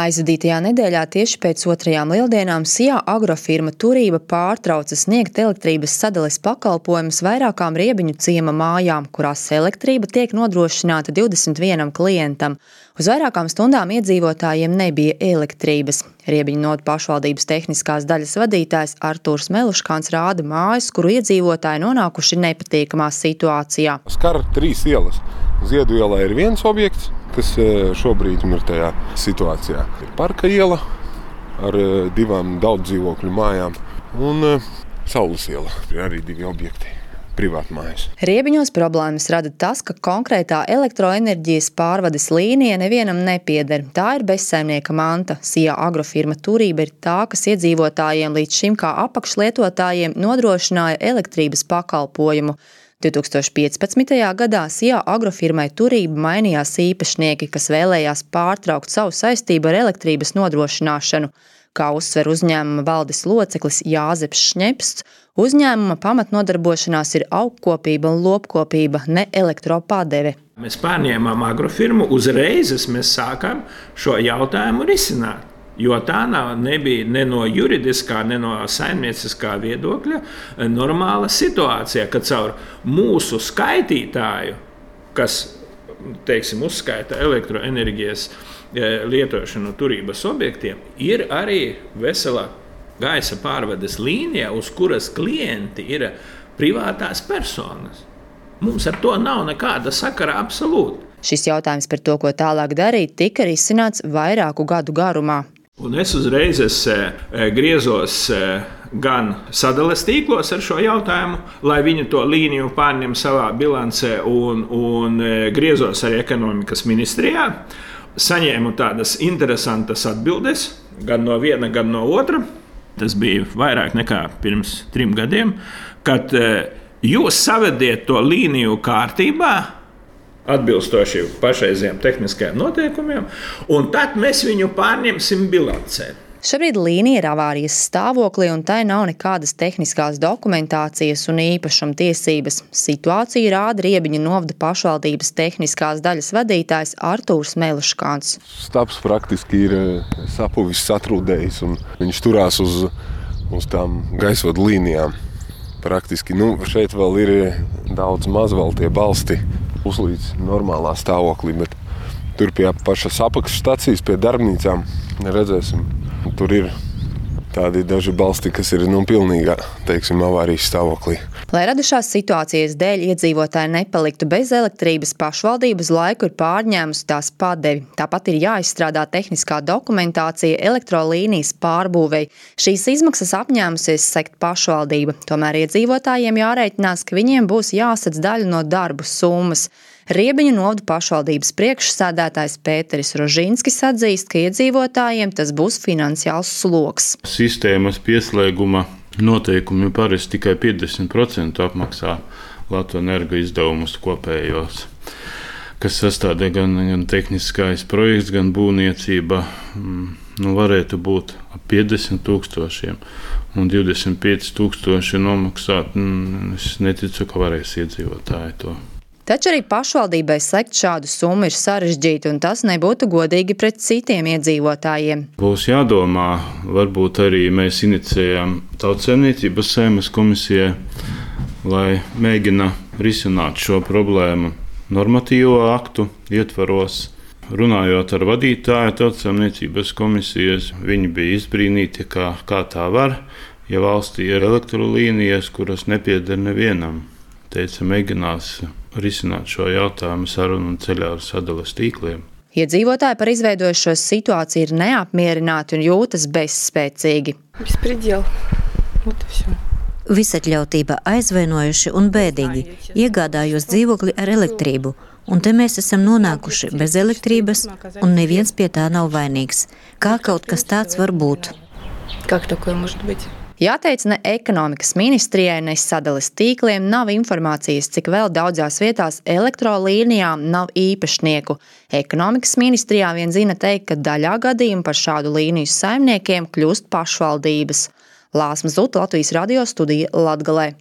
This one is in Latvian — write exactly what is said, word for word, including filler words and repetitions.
Aizvadītajā nedēļā tieši pēc otrajām lieldienām Sijā agrofirma Turība pārtrauca sniegt elektrības sadales pakalpojumus vairākām Riebiņu ciema mājām, kurās elektrība tiek nodrošināta divdesmit vienam klientam. Uz vairākām stundām iedzīvotājiem nebija elektrības. Riebiņu novads pašvaldības tehniskās daļas vadītājs Artūrs Meluškāns rāda mājas, kuru iedzīvotāji nonākuši nepatīkamā situācijā. Skar trīs ielas. Ziedu ielā ir viens objekts, kas šobrīd ir tajā situācijā. Ir Parka iela ar divām daudz dzīvokļu mājām un Saules iela. Ir arī divi objekti, privāti mājas. Riebiņos problēmas rada tas, ka konkrētā elektroenerģijas pārvades līnija nevienam nepieder. Tā ir bezsaimnieka manta. Sijā agrofirma Turība ir tā, kas iedzīvotājiem līdz šim kā apakšlietotājiem nodrošināja elektrības pakalpojumu. divi tūkstoši piecpadsmitajā gadā Sijā agrofirmai Turība mainījās īpašnieki, kas vēlējās pārtraukt savu saistību ar elektrības nodrošināšanu. Kā uzsver uzņēmuma valdes loceklis Jāzeps Šņepsts, uzņēmuma pamatnodarbošanās ir augkopība un lopkopība, ne elektropādeve. Mēs pārņēmām agrofirmu, uzreiz mēs sākām šo jautājumu risināt. Jo tā nav, nebija ne no juridiskā, ne no saimnieciskā viedokļa normāla situācija, ka caur mūsu skaitītāju, kas, teiksim, uzskaita elektroenerģijas lietošanu Turības objektiem, ir arī vesela gaisa pārvades līnija, uz kuras klienti ir privātās personas. Mums ar to nav nekāda sakara absolūti. Šis jautājums par to, ko tālāk darīt, tika risināts vairāku gadu garumā. Un es uzreiz es griezos gan sadales tīklos ar šo jautājumu, lai viņi to līniju pārņem savā bilancē, un, un griezos arī ekonomikas ministrijā. Saņēmu tādas interesantas atbildes, gan no viena, gan no otra. Tas bija vairāk nekā pirms trim gadiem, kad jūs savediet to līniju kārtībā, atbilstoši pašreizējiem tehniskajiem noteikumiem, un tad mēs viņu pārņemsim bilancē. Šobrīd līnija ir avārijas stāvoklī, un tai nav nekādas tehniskās dokumentācijas un īpašuma tiesības. Situāciju rāda Riebiņu novada pašvaldības tehniskās daļas vadītājs Artūrs Meluškāns. Stabs praktiski ir sapuvis, satrūdējis, un viņš turās uz, uz tām gaisvadu līnijām. Praktiski, nu, šeit vēl ir daudz maz vēl tie balsti uzlīdz normālā stāvoklī, bet tur pie pašas apakšstacijas, pie darbnīcām redzēsim. Tur ir tādi daži balsti, kas ir nu, pilnīgā, teiksim, avārijas stāvoklī. Lai radušās situācijas dēļ iedzīvotāji nepaliktu bez elektrības, pašvaldības laiku ir pārņēmusi tās padevi. Tāpat ir jāizstrādā tehniskā dokumentācija elektrolīnijas pārbūvei. Šīs izmaksas apņēmusies sekt pašvaldība. Tomēr iedzīvotājiem jārēķinās, ka viņiem būs jāsadz daļa no darbu summas. Riebiņu novada pašvaldības priekšsēdētājs Pēteris Rožinskis atzīst, ka iedzīvotājiem tas būs finansiāls sloks. Sistēmas pieslēguma noteikumi parasti tikai piecdesmit procenti apmaksā Latvenergo izdevumus kopējos, kas sastādē gan, gan tehniskais projekts, gan būvniecība. Nu, varētu būt ap piecdesmit tūkstošiem un divdesmit pieci tūkstoši nomaksāt. Es neticu, ka varēs iedzīvotāji to. Taču arī pašvaldībai sekt šādu summu ir sarežģīti, un tas nebūtu godīgi pret citiem iedzīvotājiem. Būs jādomā, varbūt arī mēs inicējam Tautsaimniecības Saeimas komisijai, lai mēģina risināt šo problēmu normatīvo aktu ietvaros. Runājot ar vadītāju Tautsaimniecības komisijas, viņi bija izbrīnīti, kā, kā tā var, ja valstī ir elektrolīnijas, kuras nepieder nevienam. Teica, mēģinās risināt šo jautājumu sarunu un ceļā ar sadales tīkliem. Iedzīvotāji par izveidojušo situāciju ir neapmierināti un jūtas bezspēcīgi. Bespredēl. Visatļautība aizvainojuši un bēdīgi. Iegādājos dzīvokli ar elektrību, un te mēs esam nonākuši bez elektrības, un neviens pie tā nav vainīgs. Kā kaut kas tāds var būt? Kā такое может быть? Jāteic, ne ekonomikas ministrijai, ne sadales tīkliem nav informācijas, cik vēl daudzās vietās elektrolīnijām nav īpašnieku. Ekonomikas ministrijā vien zina teikt, ka daļā gadījumu par šādu līniju saimniekiem kļūst pašvaldības. Lāsma Zuta, Latvijas radio studija Latgalē.